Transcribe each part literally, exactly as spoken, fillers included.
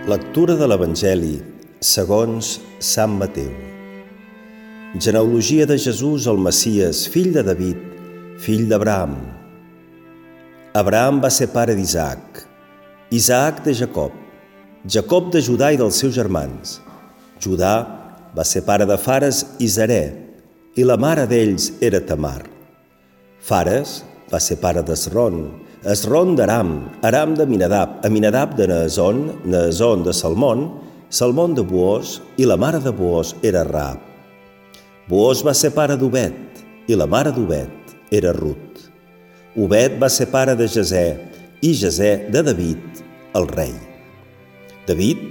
Lectura de l'Evangeli segons Sant Mateu. Genealogia de Jesús el Messies, fill de David, fill d'Abraham. Abraham va ser pare d'Isaac, Isaac de Jacob, Jacob de Judà i dels seus germans. Judà va ser pare de Fares i Zarè, i la mare d'ells era Tamar. Fares va ser pare d'Esron, Esron d'Aram, Aram d'Aminadab, Aminadab de Naasón, Naasón de Salmón, Salmón de Boòs, i la mare de Boòs era Raab. Boòs va ser pare d'Obed, i la mare d'Obed era Rut. Obed va ser pare de Jesè, i Jesè de David, el rei. David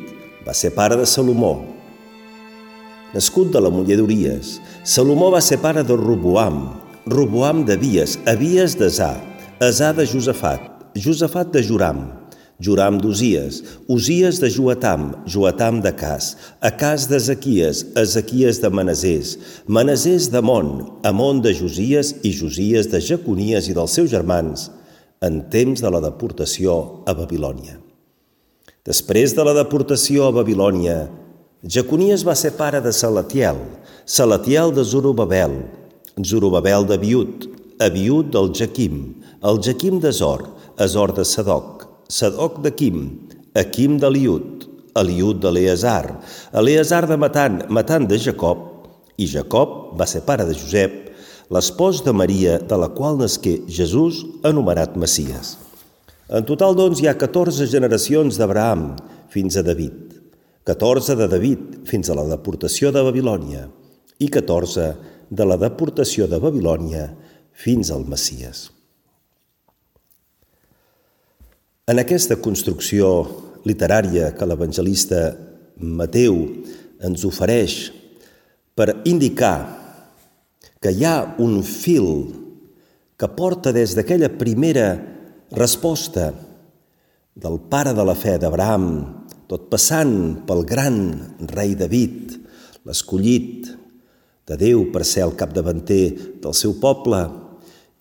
va ser pare de Salomó, nascut de la muller d'Uries. Salomó va ser pare de Roboam, Roboam d'Abies, Abies d'Asà, Asà de Josafat, Josafat de Joram, Joram d'Uzies, Uzies de Joatam, Joatam d'Acàs, Acàs d'Ezequies, Ezequies de Manasés, Manasés d'Amon, Amon de Josies i Josies de Jeconies i dels seus germans, en temps de la deportació a Babilònia. Després de la deportació a Babilònia, Jeconies va ser pare de Salatiel, Salatiel de Zorobabel, Zorobabel d'Abiud, Abiud del Jaquim, el Jaquim d'Azor, Azor de Sadoc, Sadoc d'Aquim, Aquim d'Eliud, Eliud d'Eleazar, Eleazar de Matan, Matan de Jacob, i Jacob va ser pare de Josep, l'espòs de Maria, de la qual nasqué Jesús, anomenat Messies. En total, doncs, hi ha catorze generacions d'Abraham fins a David, catorze de David fins a la deportació de Babilònia i catorze de la deportació de Babilònia fins al Messies. En aquesta construcció literària que l'evangelista Mateu ens ofereix per indicar que hi ha un fil que porta des d'aquella primera resposta del pare de la fe d'Abraham, tot passant pel gran rei David, l'escollit de Déu per ser el capdavanter del seu poble,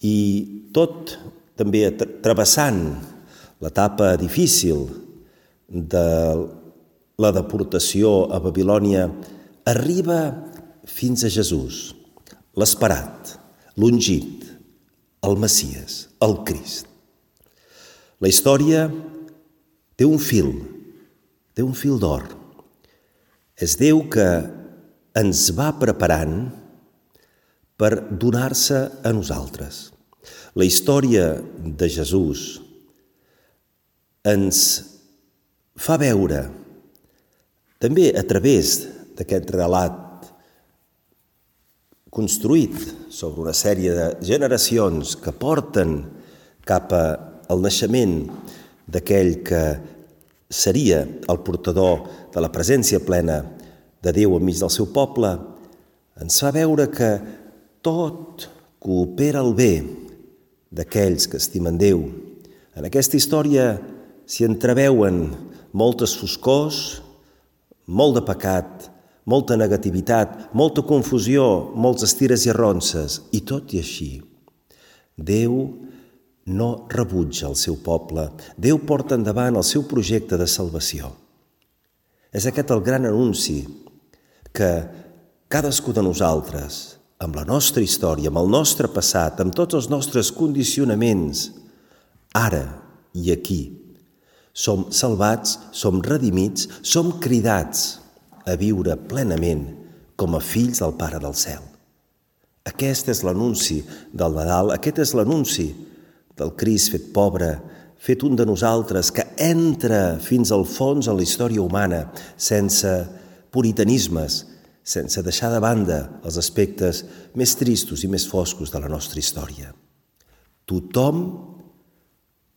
i tot també travessant l'etapa difícil de la deportació a Babilònia, arriba fins a Jesús, l'esperat, l'ungit, el Messies, el Crist. La història té un fil, té un fil d'or. És Déu que ens va preparant per donar-se a nosaltres. La història de Jesús ens fa veure, també a través d'aquest relat construït sobre una sèrie de generacions que porten cap al naixement d'aquell que seria el portador de la presència plena de Déu enmig del seu poble, ens fa veure que tot coopera al bé d'aquells que estimen Déu. En aquesta història s'hi entreveuen moltes foscors, molt de pecat, molta negativitat, molta confusió, molts estires i arronses, i tot i així, Déu no rebutja el seu poble. Déu porta endavant el seu projecte de salvació. És aquest el gran anunci que cadascú de nosaltres, amb la nostra història, amb el nostre passat, amb tots els nostres condicionaments, ara i aquí, som salvats, som redimits, som cridats a viure plenament com a fills del Pare del Cel. Aquest és l'anunci del Nadal, aquest és l'anunci del Crist fet pobre, fet un de nosaltres, que entra fins al fons en la història humana, sense puritanismes, sense deixar de banda els aspectes més tristos i més foscos de la nostra història. Tothom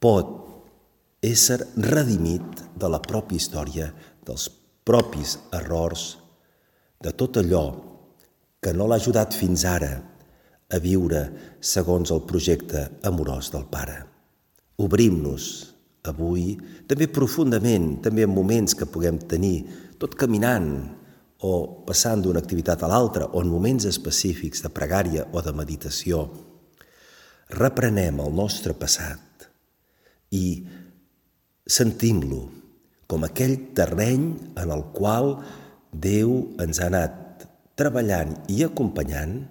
pot ésser redimit de la pròpia història, dels propis errors, de tot allò que no l'ha ajudat fins ara a viure segons el projecte amorós del Pare. Obrim-nos avui, també profundament, també en moments que puguem tenir, tot caminant o passant d'una activitat a l'altra, o en moments específics de pregària o de meditació, reprenem el nostre passat i sentim-lo com aquell terreny en el qual Déu ens ha anat treballant i acompanyant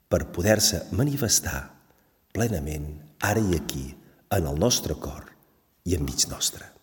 per poder-se manifestar plenament ara i aquí, en el nostre cor i enmig nostre.